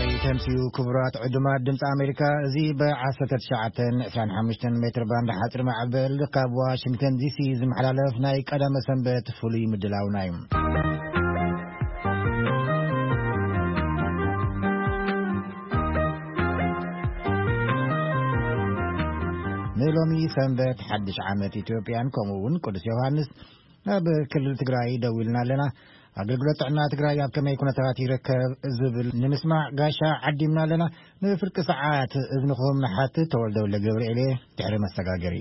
ተምሲኡ። ክቡራት ዕዱማት ድምፂ ኣሜሪካ፣ እዚ ብ19 25 ሜትር ባንድ ሓፂር ማዕበል ካብ ዋሽንግተን ዲሲ ዝመሓላለፍ ናይ ቀዳመ ሰንበት ፍሉይ ምድላውና እዩ። ንሎሚ ሰንበት ሓድሽ ዓመት ኢትዮጵያን ከምኡ እውን ቅዱስ ዮሃንስ ኣብ ክልል ትግራይ ደዊልና ኣለና። ኣገልግሎት ጥዕና ትግራይ ኣብ ከመይ ኩነታት ይርከብ ዝብል ንምስማዕ ጋሻ ዓዲምና ኣለና። ንፍርቂ ሰዓት እዝንኹም ንሓትት። ተወልደ ወልደ ገብርኤል እየ፣ ድሕሪ መሰጋገሪ።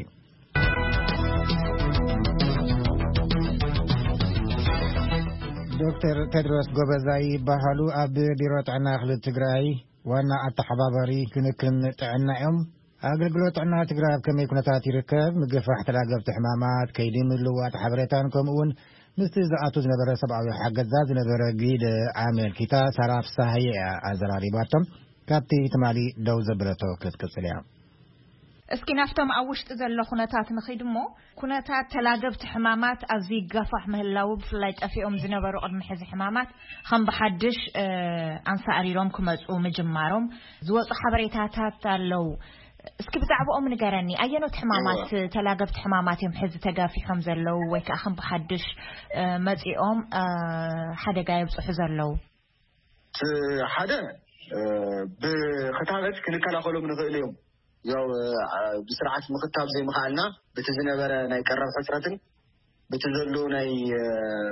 ዶክተር ቴድሮስ ጎበዛይ ይበሃሉ። ኣብ ቢሮ ጥዕና ክልል ትግራይ ዋና ኣተሓባባሪ ክንክን ጥዕና እዮም። ኣገልግሎት ጥዕና ትግራይ ኣብ ከመይ ኩነታት ይርከብ? ምግፋሕ ተላገብቲ ሕማማት፣ ከይዲ ምልዋጥ ሓበሬታን ከምኡ እውን ምስቲ ዝኣቱ ዝነበረ ሰብኣዊ ሓገዛ ዝነበረ ግደ ኣመልኪታ ሳራ ፍሳሃየ እያ ኣዘራሪባቶም። ካብቲ ትማሊ ደው ዘበለቶ ክትቅጽል እያ። እስኪ ናብቶም ኣብ ውሽጢ ዘሎ ኩነታት ንኺድ እሞ፣ ኩነታት ተላገብቲ ሕማማት ኣዝዩ ይጋፋሕ ምህላዉ፣ ብፍላይ ጠፊኦም ዝነበሩ ቅድሚ ሕዚ ሕማማት ከም ብሓድሽ፣ እ፣ ኣንሳእሪሮም ክመጹ ምጅማሮም ዝወጹ ሓበሬታታት ኣለዉ። እስኪ ብዛዕባኦም ንገረኒ። ኣየኖት ሕማማት፣ እወ። ተላገብቲ ሕማማት እዮም ሕዚ ተጋፊሖም ዘለዉ ወይ ከኣ ከም ብሓድሽ፣ እ፣ መጺኦም፣ እ፣ ሓደጋ የብጽሑ ዘለዉ? እቲ ሓደ፣ እ፣ ብክታበት ክንከላኸሎም ንኽእል እዮም። ያው፣ እ፣ ብስርዓት ምኽታብ ዘይምኽኣልና፣ በቲ ዝነበረ ናይ ቀረብ ሕጽረትን በቲ ዘሎ ናይ፣ እ፣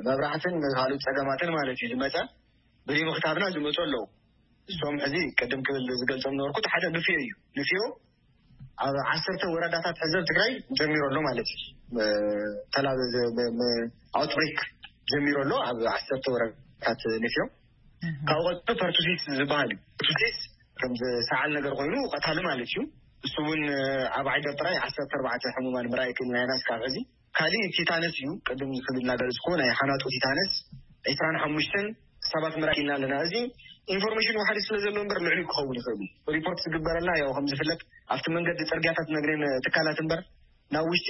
መብራህትን ካልኦት ጸገማትን ማለት እዩ ዝመጸ፣ ብዘይምኽታብና ዝመጹ ኣለዉ። እሶም ሕዚ ቅድም ክብል ዝገልጾም ነበርኩ፣ እቲ ሓደ ንፍዮ እዩ። ንፍዮ ኣብ 10 ወረዳታት ሕዚ ኣብ ትግራይ ጀሚሩ ኣሎ ማለት እዩ። እ፣ ተላ-፣ ብ-፣ ብ-፣ ብ-፣ ኣውትብሬክ ጀሚሩ ኣሎ ኣብ 10 ወረዳታት ንፍዮ። እህ። ካብኡ ቀጥሎ ፐርቱሲስ ዝበሃል እዩ። ፐርቱሲስ ከም ሰዓል ነገር ኮይኑ ቀታሊ ማለት እዩ። እሱ እውን፣ እ፣ ኣብ ዓይደር ጥራይ 14 ሕሙማን ምርኣይ ክኢልና ኢና እስካብ ሕዚ። ካሊእ ቲታነስ እዩ። ቅድም ክብል እናገለጽኩ ናይ ሓናጡ ቲታነስ 25 ሰባት ምርኣይ ክኢልና ኣለና። እዚ ኢንፎርሜሽን ዋሕዲ ስለ ዘሎ እምበር ልዕሊ ክኸውን ይኽእል እዩ። ሪፖርት ዝግበረልና ያው ከም ዝፍለጥ ኣብቲ መንገዲ ጽርግያታት ነግሬን ትካላት እምበር ናብ ውሽጢ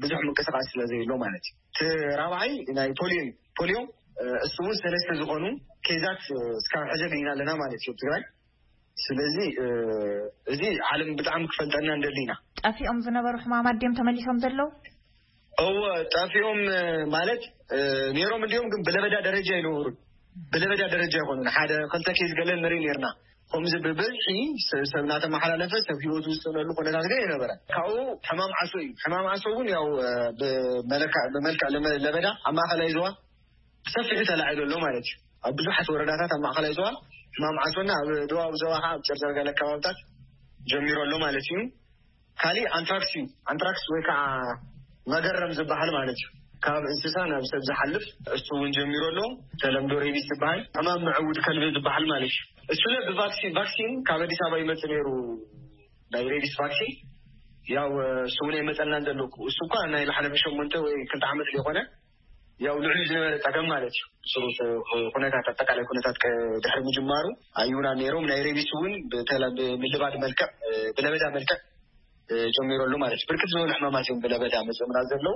ብዙሕ ምንቅስቃስ ስለ ዘየሎ ማለት እዩ። እቲ ራብዓይ ናይ ፖሊዮ እዩ። ፖሊዮ፣ እ፣ እሱ እውን ሰለስተ ዝኾኑ ኬዛት፣ እ፣ እስካብ ሕዚ ኣግኝና ኣለና ማለት እዩ ኣብ ትግራይ። ስለዚ፣ እ፣ እዚ ዓለም ብጣዕሚ ክፈልጠና እንደሊ ኢና። ጠፊኦም ዝነበሩ ሕማማት ድዮም ተመሊሶም ዘለዉ? እወ፣ ጠፊኦም፣ እ፣ ማለት፣ እ፣ ነይሮም እንዲዮም፣ ግን ብለበዳ ደረጃ ኣይነበሩን። ብለበዳ ደረጃ ኣይኮኑን። ሓደ ክልተ ኬዝ ገለ ንርኢ ነይርና። ከምዚ ብብዝሒ ስ-፣ ሰብ እናተመሓላለፈ ሰብ ህይወቱ ዝስእነሉ ኩነታት ግን ኣይነበረን። ካብኡ ሕማም ዓሶ እዩ። ሕማም ዓሶ እውን ያው፣ እ፣ ብመለካ-፣ ብመልክዕ ለመ-፣ ለበዳ ኣብ ማእኸላይ ዞባ ብሰፊሑ ተላዒሉ ኣሎ ማለት እዩ። ኣብ ብዙሓት ወረዳታት ኣብ ማእኸላይ ዞባ ሕማም ዓሶና ኣብ ደቡባዊ ዞባ ከዓ ኣብ ጨርጨር ገለ ከባብታት ጀሚሩ ኣሎ ማለት እዩ። ካሊእ ኣንትራክስ እዩ። ኣንትራክስ ወይ ከዓ መገረም ዝበሃል ማለት እዩ። ካብ እንስሳ ናብ ሰብ ዝሓልፍ እሱ እውን ጀሚሩ ኣሎ። ተለምዶ ሬቢስ ዝበሃል ሕማም ምዕውድ ከልቢ ዝበሃል ማለት እዩ። እሱ ለ ብቫክሲን፣ ቫክሲን ካብ ኣዲስ ኣበባ ይመጽእ ነይሩ፣ ናይ ሬቢስ ቫክሲን። ያው እሱ እውን ኣይመጸናን ዘሎ። እሱ እኳ ናይ ዝሓለፈ ሸሞንተ ወይ ክልተ ዓመት ዘይኮነ፣ ያው ልዕሊ ዝነበረ ጸገም ማለት እዩ። ስሩ ኩነታት፣ ኣጠቃላይ ኩነታት ቀ-፣ ድሕሪ ምጅማሩ ኣዩና ነይሮም። ናይ ሬቢስ እውን ብተለ-፣ ብምልባድ መልክዕ፣ ብለበዳ መልክዕ እ፣ ጀሚሩ ኣሎ ማለት እዩ። ብርክት ዝበሉ ሕማማት እዮም ብለበዳ መፂኦምና ዘለዉ።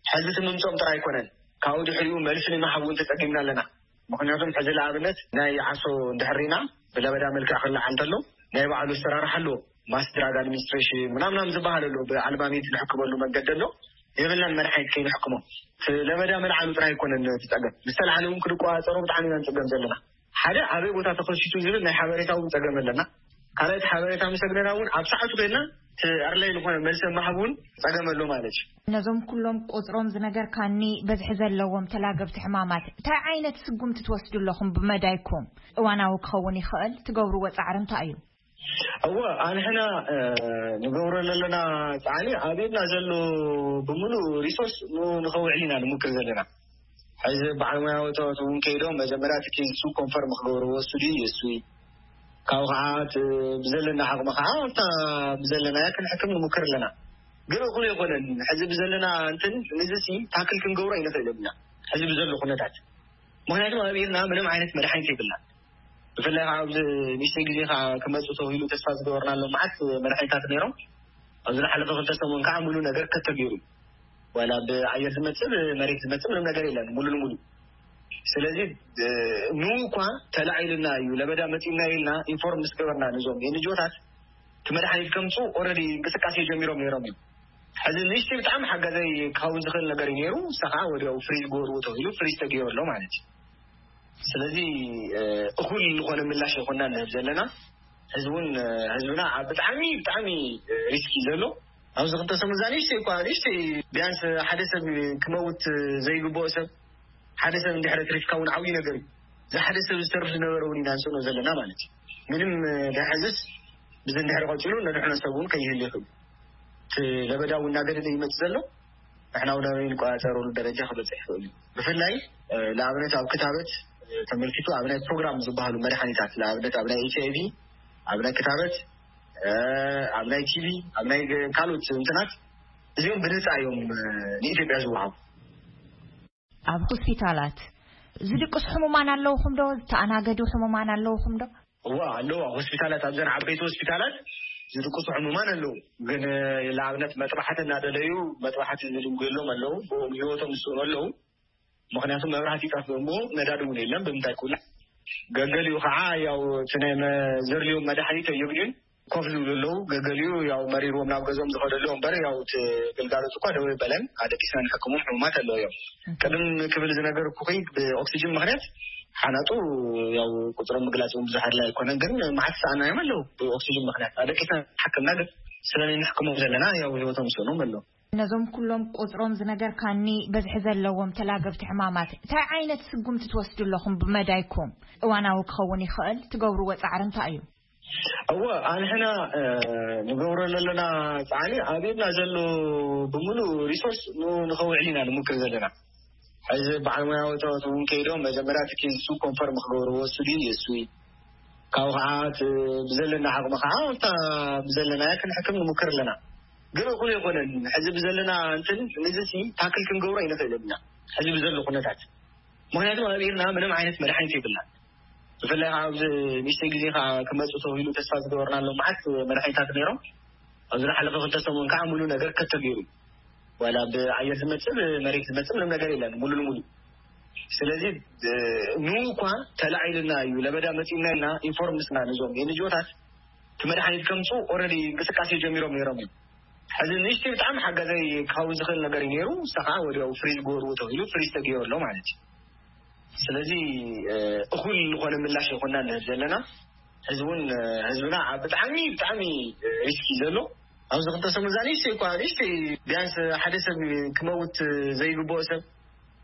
ሕዚ እቲ ምምፅኦም ጥራይ ኣይኮነን፣ ካብኡ ድሕሪኡ መልሲ ንምሃብ እውን ተፀጊምና ኣለና። ምኽንያቱም ሕዚ ንኣብነት ናይ ዓሶ እንድሕር ርኢና ብለበዳ መልክዕ ክለዓል እንተሎ ናይ ባዕሉ ኣሰራርሓ ኣለዎ። ማስ ድራግ ኣድሚኒስትሬሽን ምናምናም ዝበሃል ኣሎ፣ ብኣልባሚት ንሕክመሉ መንገዲ ኣሎ። የብልናን መድሓኒት ከይንሕክሞ። እቲ ለበዳ ምልዓሉ ጥራይ ኣይኮነን እቲ ፀገም፣ ምስ ተልዓለ እውን ክድቆፃፀሮ ብጣዕሚ ኢና ንፅገም ዘለና። ሓደ ኣበይ ቦታ ተኸሲቱ ዝብል ናይ ሓበሬታ እውን ፀገም ኣለና። ካልኣይ እቲ ሓበሬታ ምስ ኣግነና እውን ኣብ ሰዓቱ ኮይና እቲ ኣድላይ ዝኾነ መልሲ ምሃብ እውን ፀገም ኣሎ ማለት እዩ። ነዞም ኩሎም ቁፅሮም ዝነገርካኒ በዝሒ ዘለዎም ተላገብቲ ሕማማት እንታይ ዓይነት ስጉምቲ ትወስዱ ኣለኹም? ብመዳይኩም እዋናዊ ክኸውን ይኽእል ትገብርዎ ፃዕሪ እንታይ እዩ? እወ፣ ኣንሕና፣ እ፣ ንገብሮ ዘለና ፃዕሪ ኣብ ኢድና ዘሎ ብምሉእ ሪሶርስ ን-፣ ንኸውዕል ኢና ንሙክር ዘለና። ሕዚ በዓል ሞያውታት እውን ከይዶም መጀመርያ እቲ ኬዝ እሱ ኮንፈርም ክገብርዎ እሱ ድዩ እሱ እዩ። ካብኡ ከዓ እቲ ብዘለና ዓቕሚ ከዓ ኣብታ ብዘለናያ ክንሕክም ንሙክር ኣለና። ግን እኹል ኣይኮነን። ሕዚ ብዘለና እንትን ንዚ ሲ ታክል ክንገብሮ ኣይንኽእልን ኢና። ሕዚ ብዘሎ ኩነታት። ምኽንያቱ ኣብ ኢድና ምንም ዓይነት መድሓኒት የብልና። ብፍላይ ከዓ ኣብዚ ንእሽተይ ግዜ ከዓ ክመፁ ተባሂሉ ተስፋ ዝገበርናሎም መዓት መድሓኒታት ነይሮም። ኣብዚ ዝሓለፈ ክልተ ሰሙን ከዓ ሙሉ ነገር ከት ተገይሩ። ዋላ ብኣየር ዝመፅእ ብመሬት ዝመፅእ ምንም ነገር የለን። ሙሉ ንሙሉ ስለዚ እ፣ ንኡ እኳ ተላዒልና እዩ ለበዳ መፂና ኢልና ኢንፎርም ምስ ገበርና ነዞም ኤንጂኦታት እቲ መድሓኒት ከምፁ ኦልሬዲ እንቅስቃሴ ጀሚሮም ነይሮም እዮም። ሕዚ ንእሽተይ ብጣዕሚ ሓጋዛይ ክኸውን ዝኽእል ነገር እዩ ነይሩ። ንሳ ከዓ ወዲያው ፍሪዝ ግበርዎ ተባሂሉ ፍሪዝ ተገይሩ ኣሎ ማለት እዩ። ስለዚ እ፣ እኹል ዝኾነ ምላሽ ይኮና ንህብ ዘለና። ህዝቡን ህዝብና ኣብ ብጣዕሚ ብጣዕሚ ሪስኪ ዘሎ ኣብዚ ክልተ ሰሙን እዛ ንእሽተይ እኳ ንእሽተይ ቢያንስ ሓደ ሰብ ክመውት ዘይግብኦ ሰብ ሓደ ሰብ እንድሕረ ትሪፍካ እውን ዓብዩ ነገር እዩ። እዚ ሓደ ሰብ ዝተርፍ ዝነበረ እውን ኢና ንስእኖ ዘለና ማለት እዩ። ምንም ድሕዝስ ብዚ እንድሕር ቀፂሉ ነድሕኖ ሰብ እውን ከይህል ይኽእል። እቲ ለበዳ እውን እናገደደ ይመፅ ዘሎ ንሕና እውን ኣበይ ንቆፃፀረሉ ደረጃ ክበፅሕ ይኽእል እዩ። ብፍላይ ንኣብነት ኣብ ክታበት ተመልኪቱ ኣብ ናይ ፕሮግራም ዝበሃሉ መድሓኒታት ንኣብነት ኣብ ናይ ኤች ኣይቪ ኣብ ናይ ክታበት ኣብ ናይ ቲቪ ኣብ ናይ ካልኦት እንትናት እዚኦም ብነፃ እዮም ንኢትዮጵያ ዝወሃቡ። ኣብ ሆስፒታላት ዝድቅሱ ሕሙማን ኣለውኹም ዶ? ዝተኣናገዱ ሕሙማን ኣለውኹም ዶ? እዋ ኣለዋ። ሆስፒታላት ኣብዘን ዓበይቲ ሆስፒታላት ዝድቅሱ ሕሙማን ኣለዉ። ግን ንኣብነት መጥባሕቲ እናደለዩ መጥባሕቲ ዝድንጉ የሎም ኣለዉ። ብኦም ህይወቶም ዝስእኑ ኣለዉ። ምክንያቱ መብራህቲ ይጠፍእ እሞ ነዳዲ እውን የለን ብምንታይ ክውላዕ። ገገሊኡ ከዓ ያው እቲ ናይ ዘድልዮም መድሓኒት ኣየግድዩን ኮፍ ዝብሉ ኣለዉ። ገገሊኡ ያው መሪርዎም ናብ ገዝኦም ዝኸዱ ኣለዉ እምበር ያው እቲ ግልጋሎት እኳ ደው የበለን። ኣደቂስና ንሕክሞም ሕሙማት ኣለዉ እዮም። ቅድም ክብል ዝነገርኩኺ ብኦክሲጅን ምክንያት ሓናጡ ያው ቁፅሮም ምግላፅ እውን ብዙሕ ኣድላይ ኣይኮነን። ግን መዓት ሰኣናዮም ኣለዉ ብኦክሲጅን ምክንያት ኣደቂስና ሓክምና ግን ስለናይ ንሕክሞም ዘለና ያው ህይወቶም ስእኖም ኣለዉ። ነዞም ኩሎም ቁፅሮም ዝነገርካኒ በዝሒ ዘለዎም ተላገብቲ ሕማማት እንታይ ዓይነት ስጉምቲ ትወስዱ ኣለኹም? ብመዳይኩም እዋናዊ ክኸውን ይኽእል ትገብርዎ ፃዕሪ እንታይ እዩ? እወ ኣንሕና ንገብሮ ዘለና ፃዕሪ ኣብ ኢድና ዘሎ ብምሉእ ሪሶርስ ንኡ ንኸውዕል ኢና ንምክር ዘለና። ሕዚ በዓል ሞያውታት እውን ከይዶም መጀመርያ እቲ ኬዝ እሱ ኮንፈርም ክገብርዎ እሱ ድዩ የሱ ካብኡ ከዓ እቲ ብዘለና ዓቕሚ ከዓ ኣብታ ብዘለናያ ክንሕክም ንምክር ኣለና። ግን እኹል ኣይኮነን። ሕዚ ብዘለና እንትን ንዚ ሲ ታክል ክንገብሮ ኣይንኽእልን ኢና ሕዚ ብዘሎ ኩነታት። ምክንያቱ ኣብ ኢርና ምንም ዓይነት መድሓኒት የብልናን። ብፍላይ ከዓ ኣብዚ ንእሽተይ ግዜ ከዓ ክመፁ ተባሂሉ ተስፋ ዝገበርናሎም መዓት መድሓኒታት ነይሮም። ኣብዚ ዝሓለፈ ክልተ ሰሙን ከዓ ሙሉ ነገር ከት ተገይሩ እዩ። ዋላ ብኣየር ዝመፅእ ብመሬት ዝመፅእ ምንም ነገር የለን ሙሉ ንሙሉ። ስለዚ ንኡ እኳ ተላዒልና እዩ ለበዳ መፂና ኢልና ኢንፎርም ምስና ነዞም ኤንጂኦታት እቲ መድሓኒት ከምፁ ኦልሬዲ እንቅስቃሴ ጀሚሮም ነይሮም እዮም። ሕዚ ንእሽተይ ብጣዕሚ ሓጋዛይ ክኸውን ዝኽእል ነገር እዩ ነይሩ። ንሳ ከዓ ወዲያው ፍሪዝ ግበርዎ ተባሂሉ ፍሪዝ ተገይሩ ኣሎ ማለት እዩ። ስለዚ እኹል ዝኾነ ምላሽ ይኮና ንህብ ዘለና። ህዝቡን ህዝብና ኣብ ብጣዕሚ ብጣዕሚ ሪስክ እዩ ዘሎ። ኣብዚ ክልተ ሰሙን እዛ ንእሽተይ እኳ ንእሽተይ ቢያንስ ሓደ ሰብ ክመውት ዘይግብኦ ሰብ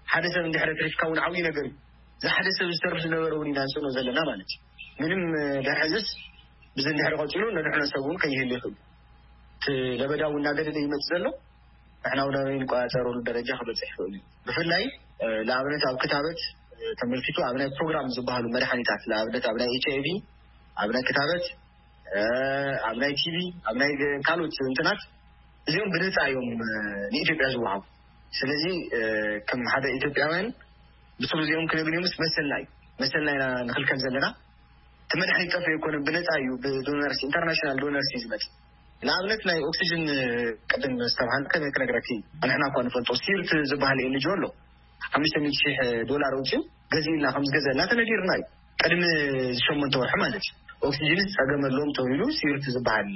ሓደ ሰብ እንድሕረ ትሪፍካ እውን ዓብዩ ነገር እዩ። እዚ ሓደ ሰብ ዝተርፍ ዝነበረ እውን ኢና ንስእኖ ዘለና ማለት እዩ። ምንም ድሕዝስ ብዚ እንድሕር ቀፂሉ ነድሕኖ ሰብ እውን ከይህል ይኽእል። እቲ ለበዳ እውን እናገደደ ይመፅእ ዘሎ ንሕና እውን ኣበይ ንቆፃፀረሉ ደረጃ ክበፅሕ ይኽእል እዩ። ብፍላይ ንኣብነት ኣብ ክታበት ተመልኪቱ ኣብ ናይ ፕሮግራም ዝበሃሉ መድሓኒታት ንኣብነት ኣብ ናይ ኤች ኣይቪ ኣብ ናይ ክታበት ኣብ ናይ ቲቪ ኣብ ናይ ካልኦት እንትናት እዚኦም ብነፃ እዮም ንኢትዮጵያ ዝወሃቡ። ስለዚ ከም ሓደ ኢትዮጵያውያን ብስሩ እዚኦም ክነግንዮምስ መሰልና እዩ። መሰልና ኢና ንኽልከል ዘለና። እቲ መድሓኒት ጠፍኡ ኣይኮነን፣ ብነፃ እዩ። ብዶነርስ ኢንተርናሽናል ዶነርስ እዩ ዝመፅእ። ንኣብነት ናይ ኦክሲጅን ቅድም ዝተብሃለ ከመይ ክነግረኪ፣ ንሕና እኳ ንፈልጦ ሲርት ዝበሃል ኤንጂኦ ኣሎ። ሓሙሽተ ሚእቲ ሺሕ ዶላር ኣውፂኡ ገዚእና ከም ዝገዘእና ተነጊርና እዩ። ቅድሚ ሸሞንተ ወርሒ ማለት እዩ። ኦክሲጅን ፀገም ኣለዎም ተባሂሉ ሲርት ዝበሃል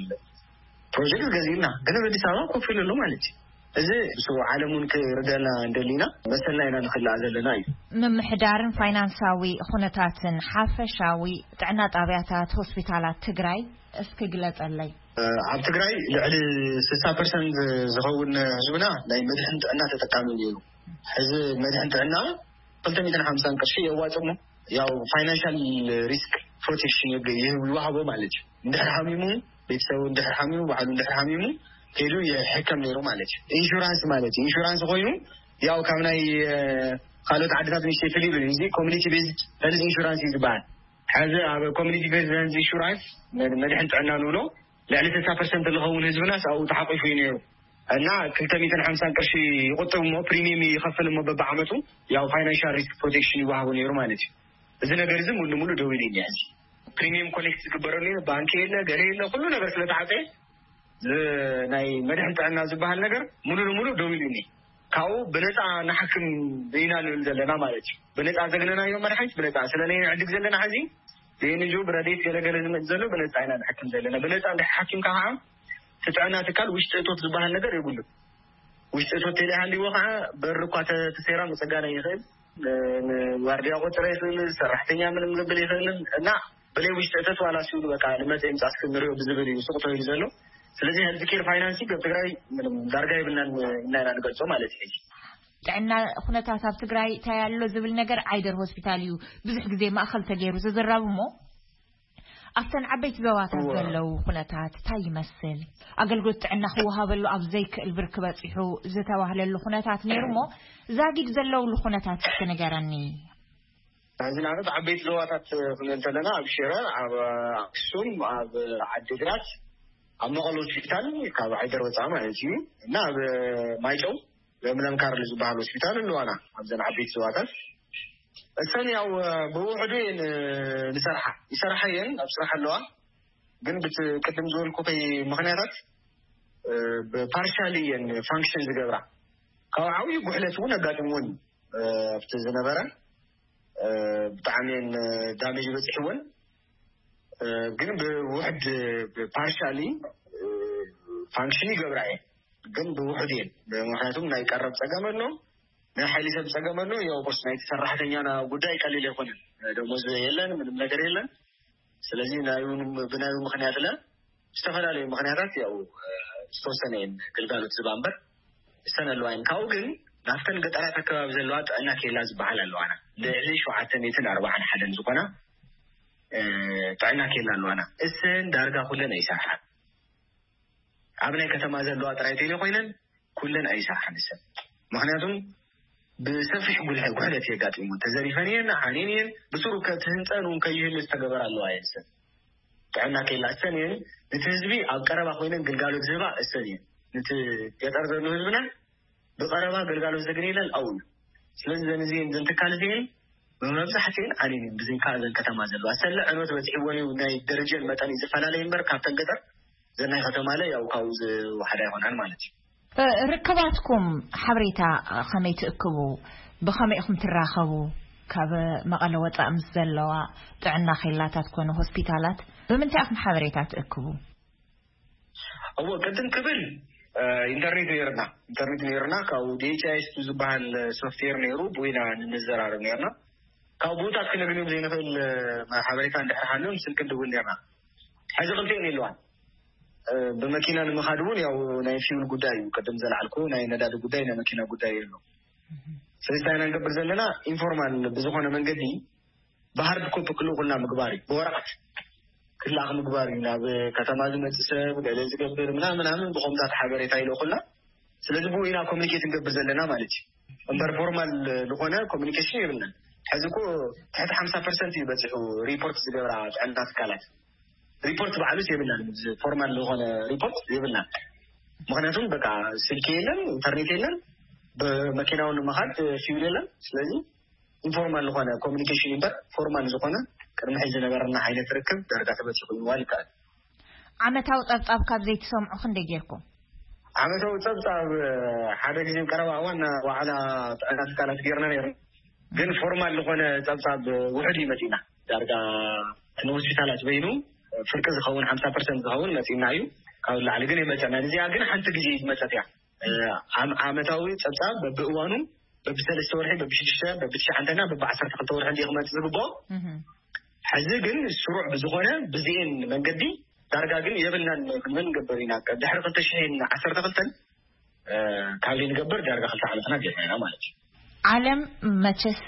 ፕሮጀክት ገዚእና ግን ኣብ ኣዲስ ኣበባ ኮፍ ኢሉ ኣሎ ማለት እዩ። እዚ ብስሩ ዓለም እውን ክርደና እንደሊና መሰልና ኢና ንክልኣ ዘለና እዩ። ምምሕዳርን ፋይናንሳዊ ኩነታትን ሓፈሻዊ ጥዕና ጣብያታት ሆስፒታላት ትግራይ እስኪ ግለፀለይ። ኣብ ትግራይ ልዕሊ ስሳ ፐርሰንት ዝኸውን ህዝብና ናይ መድሕን ጥዕና ተጠቃሚ ነይሩ። ሕዚ መድሕን ጥዕና ክልተ ሚእትን ሓምሳን ቅርሺ የዋፅእ እሞ ያው ፋይናንሻል ሪስክ ፕሮቴክሽን ይወሃቦ ማለት እዩ። እንድሕር ሓሚሙ ቤተሰቡ እንድሕር ሓሚሙ ባዕሉ እንድሕር ሓሚሙ ከይዱ ይሕከም ነይሩ ማለት እዩ። ኢንሹራንስ ማለት እዩ። ኢንሹራንስ ኮይኑ ያው ካብ ናይ ካልኦት ዓድታት ንሽተይ ፍልይ ይብል። እዚ ኮሚኒቲ ቤዝድ ሄልዝ ኢንሹራንስ እዩ ዝበሃል። ሕዚ ኣብ ኮሚኒቲ ቤዝድ ሄልዝ ኢንሹራንስ መድሕን ጥዕና ንብሎ ልዕሊ ስልሳ ፐርሰንት ዝኸውን ህዝብናስ ኣብኡ ተሓቂፉ እዩ ነይሩ። እና ክልተ ሚእትን ሓምሳን ቅርሺ ይቁጥብ እሞ ፕሪሚየም ይኸፍል እሞ በብዓመቱ ያው ፋይናንሻል ሪስክ ፕሮቴክሽን ይወሃቡ ነይሩ ማለት እዩ። እዚ ነገር እዚ ሙሉ ሙሉ ደው ኢሉ እኒአ። እዚ ፕሪሚየም ኮሌክት ዝግበረሉ ባንክ የለ ገለ የለ ኩሉ ነገር ስለተዓፀየ ናይ መድሕን ጥዕና ዝበሃል ነገር ሙሉ ንሙሉ ደው ኢሉ እኒአ። ካብኡ ብነፃ ንሓክም ኢና ንብል ዘለና ማለት እዩ። ብነፃ ዘግነናዮ መድሓኒት ብነፃ ስለ ናይ ንዕድግ ዘለና ሕዚ ብኤንጂኦ ብረዴት ገለገለ ዝመፅ ዘሎ ብነፃ ኢና ንሓክም ዘለና። ብነፃ እንድሕር ሓኪምካ ከዓ እቲ ጥዕና ትካል ውሽጢ እቶት ዝበሃል ነገር የብሉን። ውሽጢ እቶት ተለይሃልዎ ከዓ በሪ እኳ ተሰይራ መፀጋና ይኽእል፣ ዋርድያ ቆፅረ ይኽእል፣ ሰራሕተኛ ምንም ዘብል ይኽእልን እና ብለይ ውሽጢ እቶት ዋላ ሲሉ በቃ ንመፀ ምፃ እስኪ ንሪኦ ብዝብል እዩ ስቁ ተባሂሉ ዘሎ። ስለዚህ ሄልት ኬር ፋይናንሲንግ ኣብ ትግራይ ምንም ዳርጋ የብልናን እና ኢና ንገልፆ ማለት እዩ። ሕጂ ጥዕና ኩነታት ኣብ ትግራይ እንታይ ኣሎ ዝብል ነገር ዓይደር ሆስፒታል እዩ ብዙሕ ግዜ ማእኸል ተገይሩ ዝዝረብ እሞ ኣብተን ዓበይቲ ዞባታት ዘለዉ ኩነታት እንታይ ይመስል? ኣገልግሎት ጥዕና ክወሃበሉ ኣብ ዘይክእል ብርኪ በፂሑ ዝተባህለሉ ኩነታት ነይሩ እሞ ዛጊድ ዘለውሉ ኩነታት እስኪ ንገረኒ። ሕዚ ንኣብነት ዓበይቲ ዞባታት ክንብል እንተለና ኣብ ሽረ፣ ኣብ ኣክሱም፣ ኣብ ዓዲግራት፣ ኣብ መቐለ ሆስፒታል ካብ ዓይደር ወፃኢ ማለት እዩ እና ኣብ ማይጨው ለምለም ካርል ዝበሃል ሆስፒታል ኣለዋና ኣብዘን ዓበይቲ ዞባታት። እሰን ያው ብውሕዱ እየን ንሰርሓ ይሰርሓ እየን ኣብ ስራሕ ኣለዋ። ግን ብቲ ቅድም ዝበልኩ ከይ ምክንያታት ብፓርሻሊ እየን ፋንክሽን ዝገብራ ካብ ዓብዩ ጉሕለት እውን ኣጋጢምዎን ኣብቲ ዝነበረ ብጣዕሚ እየን ዳሜጅ በፂሕወን። ግን ብውሕድ ፓርሻሊ ፋንክሽን ይገብራ እየን ግን ብውሕድ እየን። ምክንያቱም ናይ ቀረብ ፀገም ኣሎ፣ ናይ ሓይሊ ሰብ ፀገም ኣሎ። ያው ቁርስ ናይቲ ሰራሕተኛና ጉዳይ ቀሊል ኣይኮነን። ደሞዝ የለን፣ ምንም ነገር የለን። ስለዚ ናዩ ብናዩ ምክንያት ለ ዝተፈላለዩ ምክንያታት ያው ዝተወሰነ እየን ግልጋሎት ዝባ እምበር ዝተን ኣለዋ እየን። ካብኡ ግን ናብተን ገጠራት ኣከባቢ ዘለዋ ጥዕና ኬላ ዝበሃል ኣለዋና ልዕሊ ሸውዓተ ሚእትን ኣርባዓን ሓደን ዝኾና ጥዕና ኬላ ኣለዋና። እሰን ዳርጋ ኩለን ኣይሰርሓን። ኣብ ናይ ከተማ ዘለዋ ጥራይ ተይለ ኮይነን ኩለን ኣይሰርሓን እሰን። ምክንያቱም ብሰፊሕ ጉልሐ ጉሕለት የጋጢሙ ተዘሪፈን እየን ዓንየን እየን ብስሩ ከትህንፀን እውን ከይህሉ ዝተገበራ ኣለዋ እየን እሰን። ጥዕና ከይላ እሰን እየን ነቲ ህዝቢ ኣብ ቀረባ ኮይነን ግልጋሎት ዝህባ እሰን እየን። ነቲ ገጠር ዘሎ ህዝብና ብቀረባ ግልጋሎት ዘግንየለን ኣው እዩ። ስለዚ ዘን እዚን ዘን ትካል እዚን ብመብዛሕትኤን ዓንየን እየን ብዘይካ ዘን ከተማ ዘለዋ ሰለ ዕኖት በፂሕወን እዩ። ናይ ደረጀን መጠን እዩ ዝፈላለይ እምበር ካብተን ገጠር ዘናይ ከተማ ለ ያው ካብኡ ዝወሓዳ ይኾናል ማለት እዩ። ርክባትኩም ሓበሬታ ከመይ ትእክቡ? ብኸመይ ኢኹም ትራኸቡ? ካብ መቐለ ወፃእ ምስ ዘለዋ ጥዕና ኬላታት ኮነ ሆስፒታላት ብምንታይ ኢኹም ሓበሬታ ትእክቡ? እዎ ቅድም ክብል ኢንተርኔት ነይርና ኢንተርኔት ነይርና ካብኡ ዲኤችኣይስ ዝበሃል ሶፍትዌር ነይሩ ብኢና ንዘራረብ ነይርና። ካብ ቦታት ክነግንዮም ዘይንኽእል ሓበሬታ እንድሕር ሃልዮም ስልኪ ንድውል ነይርና። ሕዚ ክልቲኤን የለዋን። ብመኪና ንምኻድ እውን ያው ናይ ፊውል ጉዳይ እዩ ቅድም ዘልዓልኩ ናይ ነዳዲ ጉዳይ ናይ መኪና ጉዳይ የሎ። ስለዚ እንታይ ኢና ንገብር ዘለና ኢንፎርማል ብዝኾነ መንገዲ ብሃርድ ኮፒ ክልእኩልና ምግባር እዩ። ብወረቐት ክላእክ ምግባር እዩ። ናብ ከተማ ዝመፅእ ሰብ ገለ ዝገብር ምናምን ምናምን ብኮምታት ሓበሬታ ይልእኩልና። ስለዚ ብኡ ኢና ኮሚኒኬት ንገብር ዘለና ማለት እዩ። እምበር ፎርማል ዝኾነ ኮሚኒኬሽን የብልናን። ሕዚ እኮ ትሕቲ ሓምሳ ፐርሰንት እዩ በፂሑ ሪፖርት ዝገብራ ጥዕና ትካላት። ሪፖርት ባዕሉስ የብልናን። ፎርማል ዝኾነ ሪፖርት የብልናን። ምክንያቱም በቃ ስልኪ የለን፣ ኢንተርኔት የለን፣ ብመኪናውን መኻድ ፊውል የለን። ስለዚ ኢንፎርማል ዝኾነ ኮሚኒኬሽን እምበር ፎርማል ዝኾነ ቅድሚ ሕዚ ዝነበረና ዓይነት ርክብ ዳርጋ ተበፂሑ ምባል ይከኣል። ዓመታዊ ፀብፃብ ካብ ዘይትሰምዑ ክንደይ ጌርኩም? ዓመታዊ ፀብፃብ ሓደ ግዜ ቀረባ እዋን ዋዕላ ጥዕና ትካላት ጌርና ነይሩ። ግን ፎርማል ዝኾነ ፀብፃብ ውሑድ እዩ መፂና። ዳርጋ ንሆስፒታላት በይኑ ፍርቂ ዝኸውን ሓምሳ ፐርሰንት ዝኸውን መፂና እዩ። ካብ ላዕሊ ግን የመፀና። እዚኣ ግን ሓንቲ ግዜ ዝመፀት እያ። ዓመታዊ ፀብፃብ በብእዋኑ በብሰለስተ ወርሒ በብሽዱሽተ በብትሽዓንተና በብዓሰርተ ክልተ ወርሒ እንዲ ክመፅእ ዝግብኦ። ሕዚ ግን ስሩዕ ብዝኾነ ብዚኤን መንገዲ ዳርጋ ግን የብልናን ክንብል ንገብር ኢና። ድሕሪ ክልተ ሽሕን ዓሰርተ ክልተን ካብ ዘይንገብር ዳርጋ ክልተ ዓመትና ጌርና ኢና ማለት እዩ። ዓለም መቸስ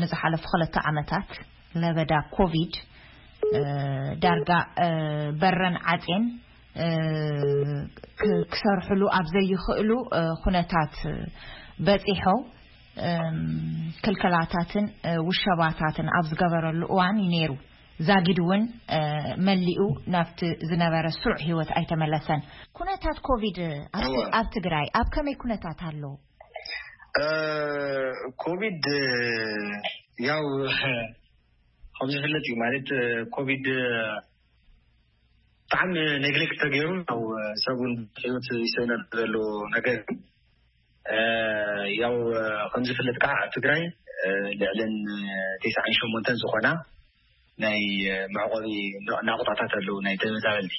ንዝሓለፉ ክልተ ዓመታት ለበዳ ኮቪድ ዳርጋ በረን ዓፅየን ክሰርሕሉ ኣብ ዘይኽእሉ ኩነታት በፂሖም ክልከላታትን ውሸባታትን ኣብ ዝገበረሉ እዋን እዩ ነይሩ። ዛጊድ እውን መሊኡ ናብቲ ዝነበረ ስሩዕ ህይወት ኣይተመለሰን። ኩነታት ኮቪድ ኣብ ትግራይ ኣብ ከመይ ኩነታት ኣሎ? ኮቪድ ያው ከም ዝፍለጥ እዩ ማለት ኮቪድ ብጣዕሚ ኔግሌክት ተገይሩ ያው ሰብ እውን ህይወት ይስእነሉ ዘሎ ነገር እዩ። ያው ከም ዝፍለጥ ከዓ ኣብ ትግራይ ልዕልን ተስዓን ሸሞንተን ዝኾና ናይ መዕቆቢ ናቁጣታት ኣለዉ ናይ ተመዛበልቲ።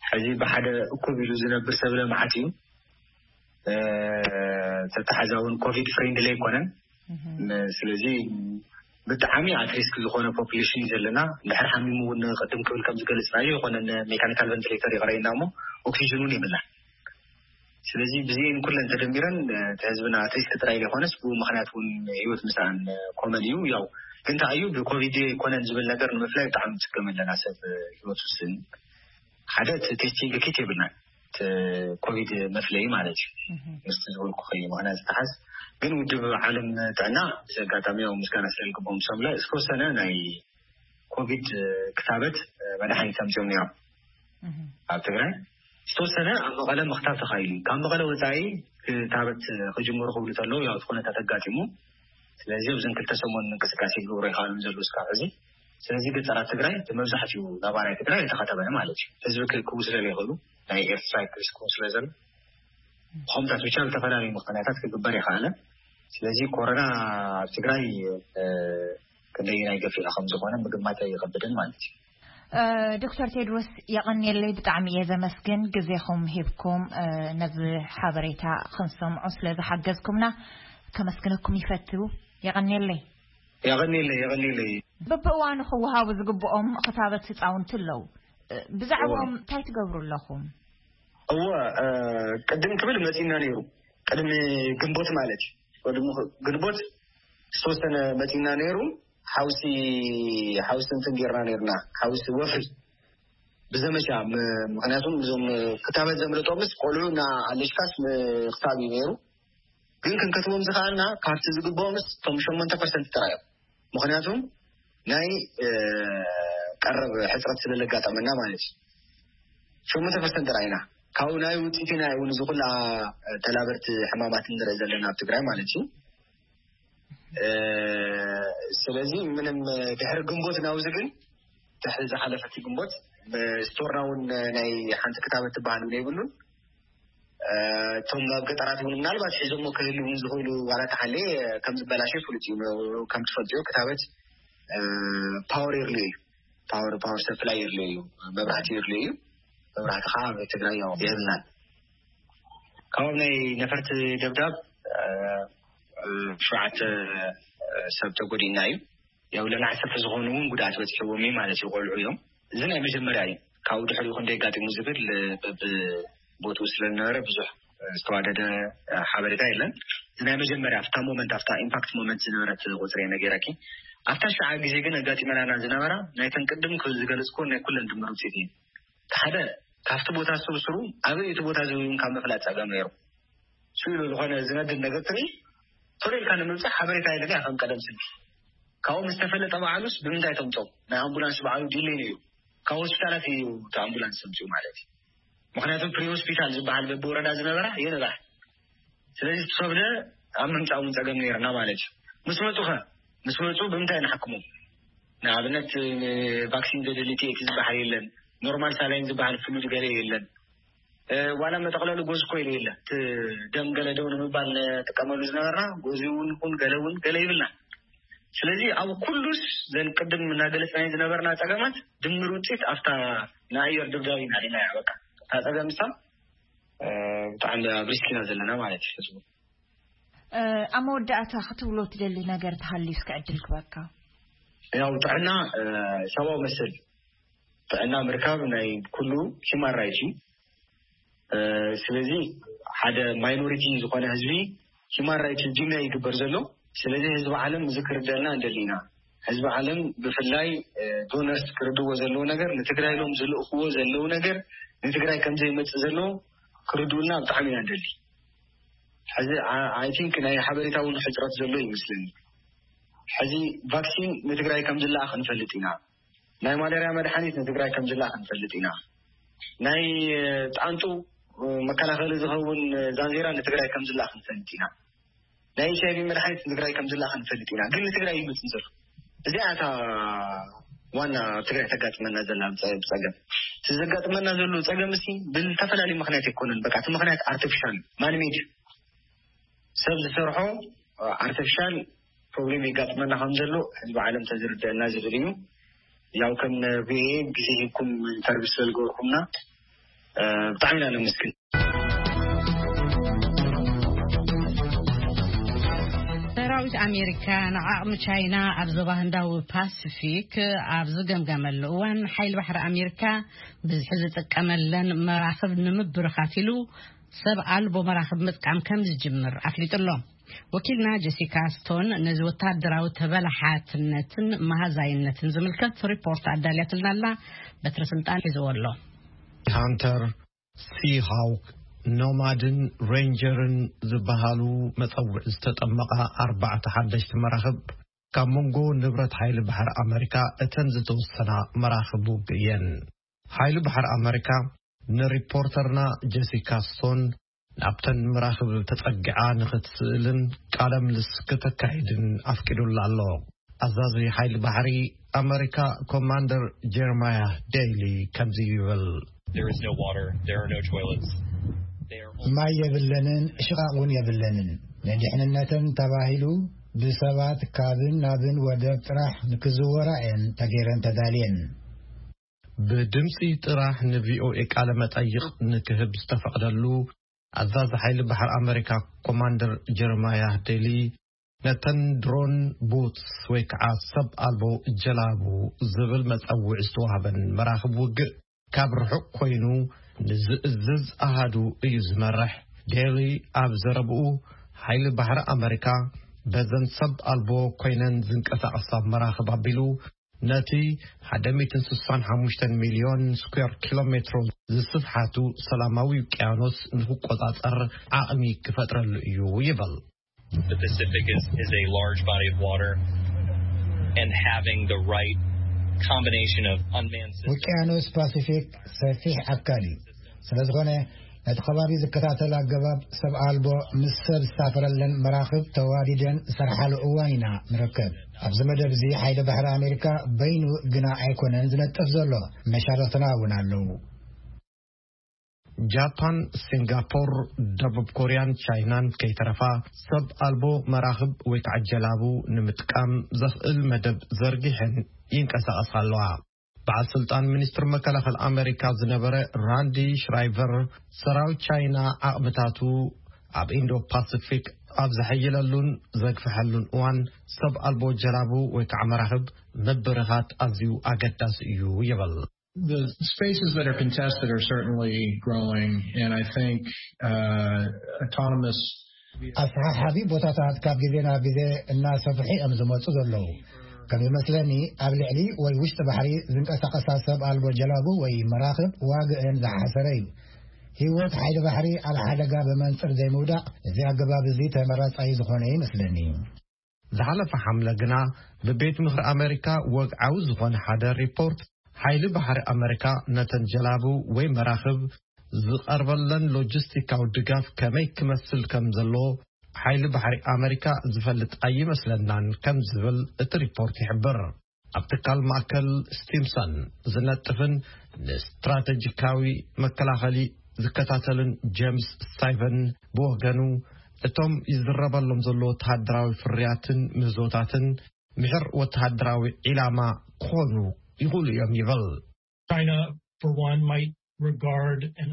ሕዚ ብሓደ እኩብ ኢሉ ዝነብር ሰብ ለመዓት እዩ። ተተሓዛውን ኮቪድ ፍሬንድሊ ኣይኮነን። ስለዚ ብጣዕሚ ኣትሪስክ ዝኾነ ፖፕሌሽን እዩ ዘለና። እንድሕር ሓሚሙ እውን ቅድም ክብል ከም ዝገለፅናዮ ይኮነ ሜካኒካል ቨንቲሌተር ይቀረየና እሞ ኦክሲጅን እውን የብላን። ስለዚ ብዚን ኩለን ተደሚረን እቲ ህዝብና ኣትሪስክ ጥራይ ዘይኮነስ ብኡ ምክንያት እውን ህይወት ምስኣን ኮመን እዩ። ያው ግን ተኣዩ ብኮቪድ ይኮነን ዝብል ነገር ንምፍላይ ብጣዕሚ ንፅገም ኣለና። ሰብ ህይወት ውስን ሓደ እቲ ቴስቲንግ ኪት የብልናን። ኮቪድ መፍለይ ማለት እዩ። ምስቲ ዝበልኩ ከዩ ምክንያት ዝተሓዝ ግን ውድብ ዓለም ጥዕና ብዚ ኣጋጣሚ ያው ምስጋና ስለልግቦም ሰምላ ዝተወሰነ ናይ ኮቪድ ክታበት መድሓኒት ኣምፅኦም ነይሮም ኣብ ትግራይ። ዝተወሰነ ኣብ መቐለ ምክታብ ተኻኢሉ እዩ። ካብ መቐለ ወፃኢ ክታበት ክጅምሩ ክብሉ ተለዉ ያው እቲ ኩነታት ኣጋጢሙ። ስለዚ ኣብዘን ክልተ ሰሙን እንቅስቃሴ ክገብሩ ይኽኣሉ ዘለዉ እስካብ ሕዚ። ስለዚ ገጠራት ትግራይ ብመብዛሕትኡ ነባራይ ትግራይ የተኸተበ ማለት እዩ። ህዝቢ ክእክቡ ስለለይኽእሉ ናይ ኤርትራ ክስክቡ ስለዘሎ ብኸምታት ብቻ ዝተፈላለዩ ምክንያታት ክግበር ይኽኣለ። ስለዚ ኮሮና ኣብ ትግራይ ክንደይ ናይ ገፊዑ ከም ዝኾነ ምግማት ኣይኸብድን ማለት እዩ። ዶክተር ቴድሮስ የቐንየለይ፣ ብጣዕሚ እየ ዘመስግን ግዜኹም ሂብኩም ነዚ ሓበሬታ ክንሰምዖ ስለ ዝሓገዝኩምና ከመስግነኩም ይፈትው። የቐንየለይ። የቐንየለይ የቐንየለይ። በብእዋኑ ክወሃቡ ዝግብኦም ክታበት ህፃውንቲ ኣለዉ። ብዛዕባኦም እንታይ ትገብሩ ኣለኹም? እወ ቅድም ክብል መፂና ነይሩ። ቅድሚ ግንቦት ማለት እዩ። ቅድሚ ግንቦት ዝተወሰነ መፂና ነይሩ። ሓውሲ ሓውሲ እንትን ጌርና ነይርና። ሓውሲ ወፍሪ ብዘመቻ ምክንያቱም እዞም ክታበት ዘምልጦምስ ቆልዑ እና ኣለሽካስ ምክታብ እዩ ነይሩ። ግን ክንከትቦም ዝኸኣልና ካብቲ ዝግብኦምስ እቶም ሸሞንተ ፐርሰንት ጥራይ እዮም። ምክንያቱም ናይ ቀረብ ሕፅረት ስለለጋጠመና ማለት እዩ። ሸሞንተ ፐርሰንት ጥራይ ኢና ካብኡ ናይ ውፅኢት ኢና እውን እዚ ኩላ ተላበርቲ ሕማማት ንርኢ ዘለና ኣብ ትግራይ ማለት እዩ። ስለዚ ምንም ድሕሪ ግንቦት ናውዚ ግን ድሕሪ ዝሓለፈቲ ግንቦት ስቶርና እውን ናይ ሓንቲ ክታበት ትበሃል እውን የብሉን። እቶም ኣብ ገጠራት እውን ምናልባት ሒዞሞ ክህልው ዝኽእሉ ዋላ ተሓልየ ከም ዝበላሸ ፍሉጥ እዩ። ከም ትፈልጥዮ ክታበት ፓወር የድልዮ እዩ። ፓወር ፓወር ሰፕላይ የድልዮ እዩ። መብራህቲ የድልዮ እዩ። መብራህቲ ከዓ ኣብ ትግራይ ያው የብልናን። ካብ ናይ ነፈርቲ ደብዳብ ሸውዓተ ሰብ ተጎዲእና እዩ። ያው ልዕሊ ዓሰርተ ዝኾኑ እውን ጉድኣት በፂሕዎም እዩ ማለት እዩ። ቆልዑ እዮም። እዚ ናይ መጀመርያ እዩ። ካብኡ ድሕሪኡ ክንደይ ኣጋጢሙ ዝብል በብቦትኡ ስለዝነበረ ብዙሕ ዝተዋደደ ሓበሬታ የለን። እዚ ናይ መጀመርያ ኣብታ ሞመንት ኣብታ ኢምፓክት ሞመንት ዝነበረት ቁፅሪ እየ ነጊረኪ። ኣብታ ሽዓ ግዜ ግን ኣጋጢመናና ዝነበራ ናይተን ቅድም ዝገለፅኩወን ናይ ኩለን ድምር ውፅኢት እዩ። ሓደ ካብቲ ቦታ ስርስሩ ኣበይ እቲ ቦታ ዝብሉን ካብ ምፍላጥ ፀገም ነይሩ። ስኢሉ ዝኾነ ዝነድድ ነገር ትርኢ ቶሎ ኢልካ ንምብፃሕ ሓበሬታ የለካ ከም ቀደም ስልኪ ካብኡ ምስ ተፈለጠ በዓሉስ ብምንታይ ተምፅኦ ናይ ኣምቡላንስ በዓሉ ዲሌይ ነይሩ ካብ ሆስፒታላት እዩ እቲ ኣምቡላንስ ተምፅኡ ማለት እዩ። ምክንያቱ ፕሪ ሆስፒታል ዝበሃል በብወረዳ ዝነበራ የነብዓ። ስለዚ ትሰብለ ኣብ ምምፃእ እውን ፀገም ነይርና ማለት እዩ። ምስ መፁ ከ ምስ መፁ ብምንታይ ንሓክሞም? ንኣብነት ቫክሲን ዘደሊ ቲኤቲ ዝበሃል የለን። ኖርማል ሳላይን ዝበሃል ፍሉድ ገለ የለን። ዋላ መጠቕለሉ ጎዝ እኮ ኢሉ የለ እቲ ደም ገለ ደው ንምባል ንጥቀመሉ ዝነበርና ጎዚ እውን ይኹን ገለ እውን ገለ ይብልና። ስለዚ ኣብ ኩሉስ ዘን ቅድም እናገለፅናይ ዝነበርና ፀገማት ድምር ውፅኢት ኣብታ ንኣየር ድብዳብ ኢና ሪናያ። በቃ እታ ፀገም ሳ ብጣዕሚ ኣብ ሪስክ ኢና ዘለና ማለት እዩ ህዝቡ። ኣብ መወዳእታ ክትብሎ ትደሊ ነገር ተሃልዩ እስኪ ዕድል ክበካ። ያው ጥዕና ሰብኣዊ መሰል ጥዕና ምርካብ ናይ ኩሉ ሂማን ራይት እዩ። ስለዚ ሓደ ማይኖሪቲ ዝኾነ ህዝቢ ሂማን ራይት ዲናይ ይግበር ዘሎ። ስለዚ ህዝቢ ዓለም እዚ ክርደልና እንደሊ ኢና። ህዝቢ ዓለም ብፍላይ ዶነርስ ክርድዎ ዘለዎ ነገር ንትግራይ ኢሎም ዝልእኽዎ ዘለዉ ነገር ንትግራይ ከምዘይመፅእ ዘለዎ ክርድኡልና ብጣዕሚ ኢና እንደሊ። ሕዚ ኣይ ቲንክ ናይ ሓበሬታ እውን ሕፅረት ዘሎ ይመስለኒ። ሕዚ ቫክሲን ንትግራይ ከም ዝለኣኽ ንፈልጥ ኢና። ናይ ማለርያ መድሓኒት ንትግራይ ከም ዝለኣኽ ንፈልጥ ኢና። ናይ ጣንጡ መከላኸሊ ዝኸውን ዛንዜራ ንትግራይ ከም ዝለኣኽ ንፈልጥ ኢና። ናይ ኤች ኣይ ቪ መድሓኒት ንትግራይ ከም ዝለኣኽ ንፈልጥ ኢና። ግን ንትግራይ ይመፅእ ዘሎ እዚኣ እታ ዋና ኣብ ትግራይ ተጋጥመና ዘላ ብፀገም እቲ ዘጋጥመና ዘሎ ፀገም ሲ ብዝተፈላለዩ ምክንያት ኣይኮነን። በቃ እቲ ምክንያት ኣርቲፊሻል ማንሜድ ሰብ ዝሰርሖ ኣርቲፊሻል ፕሮብሌም የጋጥመና ከም ዘሎ ህዝቢ ዓለም ተዝርደአና ዝብል እዩ። ያው ከም ቪኦኤ ግዜ ሂብኩም ኢንተርቪው ስለዝገበርኩምና ብጣዕሚ ኢና ነመስግን። ሰራዊት ኣሜሪካ ንዓቕሚ ቻይና ኣብ ዞባ ህንዳዊ ፓሲፊክ ኣብ ዝገምገመሉ እዋን ሓይሊ ባሕሪ ኣሜሪካ ብዝሒ ዝጥቀመለን መራኽብ ንምብርኻት ኢሉ ሰብ ኣልቦ መራኽብ ምጥቃም ከም ዝጅምር ኣፍሊጡ ኣሎ። ወኪልና ጀሲካ ስቶን ነዚ ወታደራዊ ተበላሓትነትን መሃዛይነትን ዝምልከት ሪፖርት ኣዳልያትልና ኣላ። በትሪ ስልጣን ሒዝዎ ኣሎ። ሃንተር፣ ሲሃውክ፣ ኖማድን ሬንጀርን ዝበሃሉ መጸውዒ ዝተጠመቓ ኣርባዕተ ሓደሽቲ መራኽብ ካብ መንጎ ንብረት ሓይሊ ባሕሪ ኣመሪካ እተን ዝተወሰና መራኽብ ውግእ እየን። ሓይሊ ባሕሪ ኣመሪካ ንሪፖርተርና ጀሲካ ስቶን ናብተን መራኽብ ተጸጊዓ ንኽትስእልን ቃለ ምልስ ክተካይድን ኣፍቂዱላ ኣሎ። ኣዛዚ ሓይሊ ባሕሪ ኣመሪካ ኮማንደር ጀርማያ ዴይሊ ከምዚ ይብል። There is no water. There are no toilets. They are only ማይ የብለንን፣ ሽቓቕ እውን የብለንን። ንድሕንነተን ተባሂሉ ብሰባት ካብን ናብን ወደብ ጥራሕ ንክዝወራ እየን ተገይረን ተዳልየን። ብድምፂ ጥራሕ ንቪኦኤ ቃለ መጠይቕ ንክህብ ዝተፈቕደሉ ኣዛዚ ሓይሊ ባሕሪ ኣመሪካ ኮማንደር ጀርማያ ዴሊ ነተን ድሮን ቦትስ ወይ ከዓ ሰብ ኣልቦ ጀላቡ ዝብል መፀውዒ ዝተዋህበን መራኽብ ውግእ ካብ ርሑቕ ኮይኑ ንዝእዝዝ ኣሃዱ እዩ ዝመርሕ። ዴሊ ኣብ ዘረብኡ ሓይሊ ባሕሪ ኣመሪካ በዘን ሰብ ኣልቦ ኮይነን ዝንቀሳቐሳ መራኽብ ኣቢሉ ነቲ ሓደ ሚእትን ስሳን ሓሙሽተን ሚልዮን ስኩዌር ኪሎ ሜትሮ ዝስፍሓቱ ሰላማዊ ውቅያኖስ ንክቆጻጸር ዓቕሚ ክፈጥረሉ እዩ ይብል። The Pacific is, is a large body of water, and having the right combination of unmanned systems. ውቅያኖስ ፓሲፊክ ሰፊሕ ኣካል እዩ። ስለ ዝኾነ ነቲ ከባቢ ዝከታተል ኣገባብ ሰብ ኣልቦ ምስ ሰብ ዝሳፈረለን መራኽብ ተዋዲደን ዝሰርሓሉ እዋን ኢና ንርከብ። ኣብዚ መደብ እዚ ሓይሊ ባሕሪ ኣሜሪካ በይኑ ግና ኣይኮነን ዝነጥፍ ዘሎ፣ መሻርኽትና እውን ኣለዉ። ጃፓን፣ ሲንጋፖር፣ ደቡብ ኮርያን ቻይናን ከይተረፋ ሰብ ኣልቦ መራኽብ ወይ ከዓ ጀላቡ ንምጥቃም ዘኽእል መደብ ዘርጊሐን ይንቀሳቐሳ ኣለዋ። በዓል ስልጣን ሚኒስትር መከላኸል ኣመሪካ ዝነበረ ራንዲ ሽራይቨር ሰራዊት ቻይና ዓቕምታቱ ኣብ ኢንዶ ፓሲፊክ ኣብ ዘሐይለሉን ዘግፍሐሉን እዋን ሰብ ኣልቦ ጀላቡ ወይ ከዓ መራኽብ ምብርኻት ኣዝዩ ኣገዳሲ እዩ ይብል። The spaces that are contested are certainly growing, and I think uh, autonomous ኣሰሓሓቢ ቦታታት ካብ ግዜ ናብ ግዜ እናሰፍሑ እዮም ዝመፁ ዘለዉ። ከም ይመስለኒ ኣብ ልዕሊ ወይ ውሽጢ ባሕሪ ዝንቀሳቐሳ ሰብ ኣልቦ ጀላቡ ወይ መራኽብ ዋግአን ዝሓሰረ እዩ። ህይወት ሓይሊ ባሕሪ ኣብ ሓደጋ ብመንፅር ዘይምውዳቕ እዚ ኣገባብ እዚ ተመራፃይ ዝኾነ ይመስለኒ። ዝሓለፈ ሓምለ ግና ብቤት ምኽሪ ኣመሪካ ወግዓዊ ዝኾነ ሓደ ሪፖርት ሓይሊ ባሕሪ ኣመሪካ ነተን ጀላቡ ወይ መራኽብ ዝቐርበለን ሎጂስቲካዊ ድጋፍ ከመይ ክመስል ከም ዘሎ ሓይሊ ባሕሪ ኣመሪካ ዝፈልጥ ኣይመስለናን ከም ዝብል እቲ ሪፖርት ይሕብር። ኣብ ትካል ማእከል ስቲምሰን ዝነጥፍን ንስትራተጂካዊ መከላኸሊ ዝከታተልን ጀምስ ስታይቨን ብወገኑ እቶም ይዝረበሎም ዘሎ ወተሃደራዊ ፍርያትን ምህዞታትን ምሕር ወተሃደራዊ ዒላማ ክኾኑ ይኽእሉ እዮም ይብል። China, for one, might regard an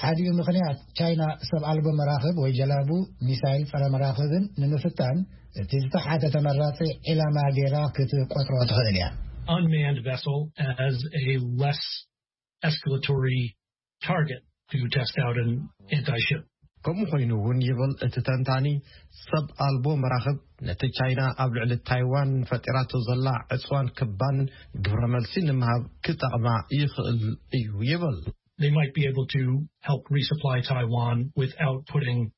ሓዲኡ ምኽንያት ቻይና ሰብ ኣልቦ መራኽብ ወይ ጀላቡ ሚሳይል ጸረ መራኽብን ንምፍታን እቲ ዝተሓተ ተመራጺ ዒላማ ገይራ ክትቆጽሮ ትኽእል እያ። Unmanned vessel as a less escalatory target to test out an anti-ship. ከምኡ ኮይኑ እውን ይብል እቲ ተንታኒ ሰብ ኣልቦ መራኽብ ነቲ ቻይና ኣብ ልዕሊ ታይዋን ፈጢራቶ ዘላ ዕፅዋን ክባን ግብረ መልሲ ንምሃብ ክጠቕማ ይኽእል እዩ ይብል። They might be able to help resupply Taiwan without putting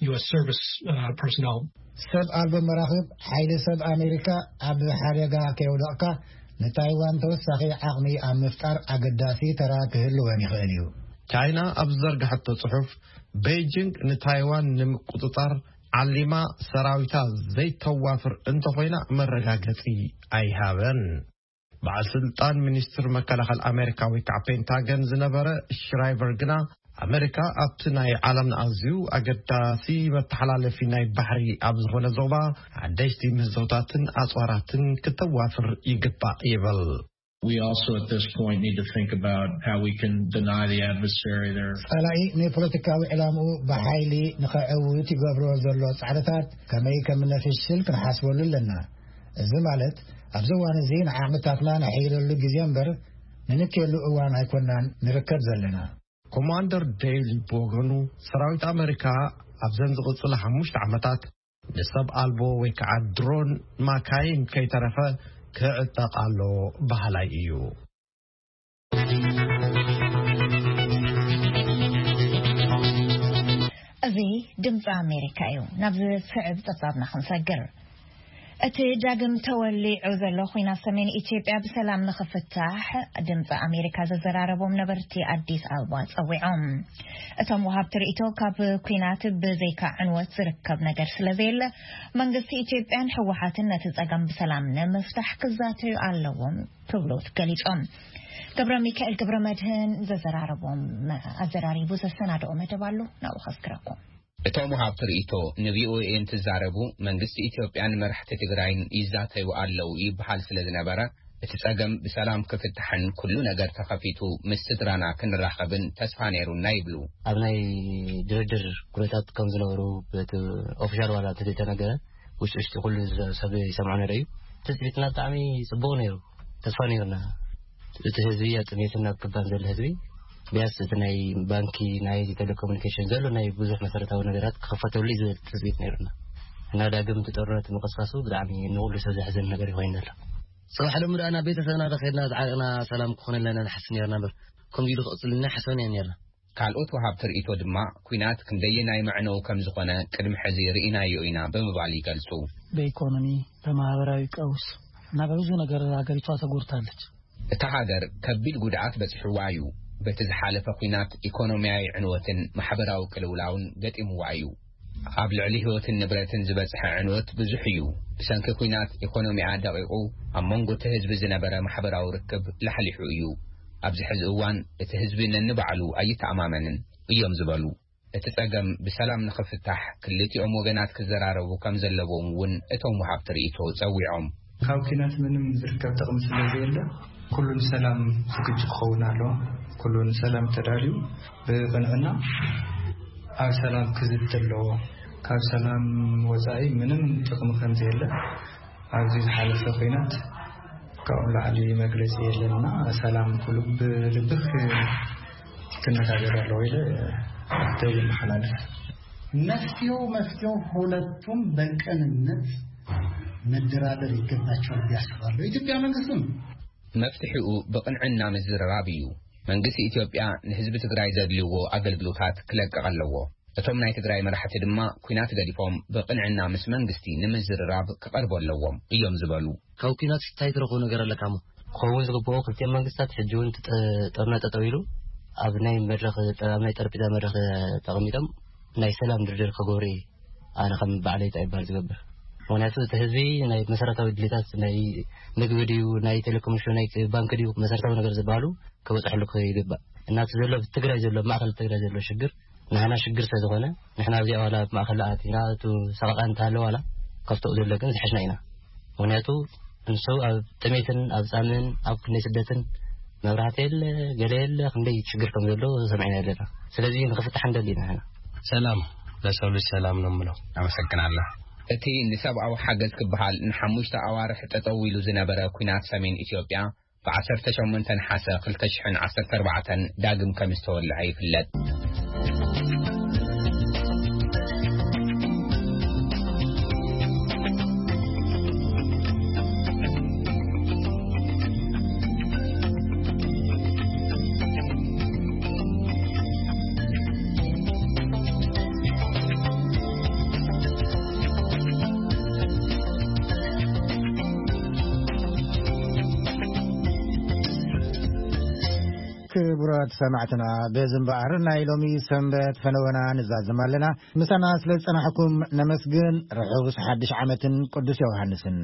U S service uh, personnel. ሰብ ኣልቦ መራኽብ ሓይሊ ሰብ ኣሜሪካ ኣብ ሓደጋ ከየውደቕካ ንታይዋን ተወሳኺ ዓቕሚ ኣብ ምፍጣር ኣገዳሲ ተራ ክህልወን ይኽእል እዩ። ቻይና ኣብ ዝዘርግሐቶ ጽሑፍ ቤጂንግ ንታይዋን ንምቁጽጻር ዓሊማ ሰራዊታ ዘይተዋፍር እንተኾይና መረጋገጺ ኣይሃበን። በዓል ስልጣን ሚኒስትር መከላኸል ኣሜሪካ ወይ ከዓ ፔንታገን ዝነበረ ሽራይቨር ግና ኣመሪካ ኣብቲ ናይ ዓለምና ኣዝዩ ኣገዳሲ መተሓላለፊ ናይ ባሕሪ ኣብ ዝኾነ ዞባ ሓደሽቲ ምህዞታትን ኣጽዋራትን ክተዋፍር ይግባእ ይብል። We also at this point need to think about how we can deny the adversary their ጸላኢ ንፖለቲካዊ ዕላምኡ ብሓይሊ ንኸዕውት ይገብሮ ዘሎ ጻዕርታት ከመይ ከም ነፍሽል ክንሓስበሉ ኣለና። እዚ ማለት ኣብዚ እዋን እዚ ንዓቕምታትና ነሐይለሉ ግዜ እምበር ንንክየሉ እዋን ኣይኮናን ንርከብ ዘለና። ኮማንደር ዴይሊ ብወገኑ፣ ሰራዊት ኣመሪካ ኣብዘን ዝቕጽላ ሓሙሽተ ዓመታት ንሰብ ኣልቦ ወይ ከዓ ድሮን ማካይን ከይተረፈ ክዕጠቕ ኣሎ በሃላይ እዩ። እዚ ድምፂ ኣሜሪካ እዩ። ናብ ዝስዕብ ፀብፃብና ክንሰግር። እቲ ዳግም ተወሊዑ ዘሎ ኹናት ሰሜን ኢትዮጵያ ብሰላም ንኽፍታሕ ድምፂ ኣሜሪካ ዘዘራረቦም ነበርቲ ኣዲስ ኣበባ ፀዊዖም። እቶም ወሃብቲ ርእይቶ፣ ካብ ኲናት ብዘይካ ዕንወት ዝርከብ ነገር ስለዘየለ፣ መንግስቲ ኢትዮጵያን ህወሓትን ነቲ ጸገም ብሰላም ንምፍታሕ ክዛተዩ ኣለዎም ክብሉ ገሊጾም። ገብረ ሚካኤል ገብረ መድህን ዘዘራረቦም ኣዘራሪቡ ዘሰናደኦ መደብ ኣሎ፣ ናብኡ ከስክረኩም። እቶም ወሃብቲ ርእይቶ ንቪኦኤ እንትዛረቡ፣ መንግስቲ ኢትዮጵያን መራሕቲ ትግራይን ይዛተዩ ኣለዉ ይበሃል ስለ ዝነበረ፣ እቲ ጸገም ብሰላም ክፍታሕን ኩሉ ነገር ተኸፊቱ ምስ ስድራና ክንራኸብን ተስፋ ነይሩና ይብሉ። ኣብ ናይ ድርድር ኩነታት ከም ዝነበሩ በቲ ኦፊሻል ዋላ እንተዘይተነገረ፣ ውሽጢ ውሽጢ ኩሉ ሰብ ይሰምዖ ነይሩ እዩ። ትጽቢትና ብጣዕሚ ጽቡቕ ነይሩ፣ ተስፋ ነይሩና። እቲ ህዝቢ ኣብ ጥሜትን ኣብ ክባን ዘሎ ህዝቢ፣ ቢያንስ እቲ ናይ ባንኪ፣ ናይ ቴሌኮሙኒኬሽን ዘሎ ናይ ብዙሕ መሰረታዊ ነገራት ክኽፈተሉ እዩ ዝብል ትጽቢት ነይሩና። እና ዳግም እቲ ጦርነት ምቕስቃሱ ብጣዕሚ ንኹሉ ሰብ ዘሕዝን ነገር እዩ ኮይኑ ዘሎ። ጽባሕ ሎሚ ደኣ ናብ ቤተሰብና ዶ ከድና ዝዓረቕና ሰላም ክኾነልና ኢና ንሓስብ ነርና እምበር፣ ከምዚ ኢሉ ክቕጽልና ሓሰብና ኢና ነርና። ካልኦት ወሃብቲ ርእይቶ ድማ፣ ኲናት ክንደየናይ መዕነዊ ከም ዝኾነ ቅድሚ ሕዚ ርኢናዮ ኢና ብምባል ይገልጹ። በኢኮኖሚ፣ በማህበራዊ ቀውስ እና በብዙ ነገር ሀገሪቷ ተጎድታለች። እታ ሃገር ከቢድ ጉድኣት በጺሕዋ እዩ። በቲ ዝሓለፈ ኲናት ኢኮኖሚያዊ ዕንወትን ማሕበራዊ ቅልውላውን ገጢምዋ እዩ። ኣብ ልዕሊ ህይወትን ንብረትን ዝበጽሐ ዕንወት ብዙሕ እዩ። ብሰንኪ ኲናት ኢኮኖሚኣ ደቒቑ፣ ኣብ መንጎ እቲ ህዝቢ ዝነበረ ማሕበራዊ ርክብ ላሕሊሑ እዩ። ኣብዚ ሕዚ እዋን እቲ ህዝቢ ነንባዕሉ ኣይተኣማመንን እዮም ዝበሉ። እቲ ጸገም ብሰላም ንኽፍታሕ ክልቲኦም ወገናት ክዘራረቡ ከም ዘለዎም እውን እቶም ወሃብቲ ርእይቶ ጸዊዖም። ካብ ኲናት ምንም ዝርከብ ጥቕሚ ስለ ዘየለ፣ ኩሉ ንሰላም ዝግጁ ክኸውን ኣለዎ። ኩሉ ንሰላም ተዳልዩ ብቕንዕና ኣብ ሰላም ክዝቲ ኣለዎ። ካብ ሰላም ወጻኢ ምንም ጥቕሚ ከም ዘየለ ኣብዚ ዝሓለፈ ኲናት ካብኡ ላዕሊ መግለጺ የለንና። ሰላም ኩሉ ብልብኽ ክነጋገር ኣለዎ ኢለ ደው ይመሓላለፍ። መፍትሄው፣ መፍትሄው ሁለቱም በቅንነት መደራደር ይገባቸዋል ብዬ አስባለሁ። የኢትዮጵያ መንግስትም መፍትሒኡ ብቕንዕና ምዝርራብ እዩ። መንግስቲ ኢትዮጵያ ንህዝቢ ትግራይ ዘድልይዎ ኣገልግሎታት ክለቅቕ ኣለዎ። እቶም ናይ ትግራይ መራሕቲ ድማ ኲናት ገዲፎም ብቕንዕና ምስ መንግስቲ ንምዝርራብ ክቐርቡ ኣለዎም እዮም ዝበሉ። ካብ ኲናት እንታይ ትረኽቦ ነገር ኣለካ እሞ? ክኸውን ዝግብኦ፣ ክልቲኦም መንግስታት ሕጂ እውን እቲ ጠ-፣ ጦርነት ጠጠው ኢሉ ኣብ ናይ መድረኽ፣ ኣብ ናይ ጠረጴዛ መድረኽ ተቐሚጦም ናይ ሰላም ድርድር ክገብሩ እየ ኣነ ከም በዓለይ እንታይ ይበሃል ዝገብር። ምኽንያቱ እቲ ህዝቢ ናይ መሰረታዊ ድሌታት ናይ ምግቢ ድዩ፣ ናይ ቴሌኮሙኒኬሽን፣ ናይ ባንክ ድዩ፣ መሰረታዊ ነገር ዝበሃሉ ክበፅሐሉ ይግባእ። እና እቲ ዘሎ፣ ትግራይ ዘሎ፣ ማእኸል ትግራይ ዘሎ ሽግር ንሕና ሽግር ስለ ዝኾነ፣ ንሕና ኣብዚኣ ዋላ ኣብ ማእኸል ኣቲና፣ እቱ ሰቐቓ እንተሃለ ዋላ፣ ካብተኡ ዘሎ ግን ዝሐሽና ኢና። ምኽንያቱ፣ ንሱ ኣብ ጥሜትን ኣብ ጻምን ኣብ ክንደይ ስደትን መብራህቲ የለ፣ ገለ የለ፣ ክንደይ ሽግር ከም ዘሎ ሰሚዕና ኣለና። ስለዚ ንኽፍታሕ ንደሊ ኢና ንሕና። ሰላም ለሰው ልጅ ሰላም ነው የምለው። ኣመሰግናለሁ። እቲ ንሰብኣዊ ሓገዝ ክበሃል ንሓሙሽተ ኣዋርሕ ጠጠው ኢሉ ዝነበረ ኲናት ሰሜን ኢትዮጵያ፣ ብ ዓሰርተ ሸሞንተ ነሓሰ ክልተ ሽሕን ዓሰርተ ኣርባዕተን ዳግም ከም ዝተወልዐ ይፍለጥ። ክቡራት ሰማዕትና፣ በዚ እምበኣር ናይ ሎሚ ሰንበት ፈነወና ንዛዘም ኣለና። ምሳና ስለ ዝጸናሕኩም ነመስግን። ርሑስ ሓድሽ ዓመትን ቅዱስ ዮሃንስን።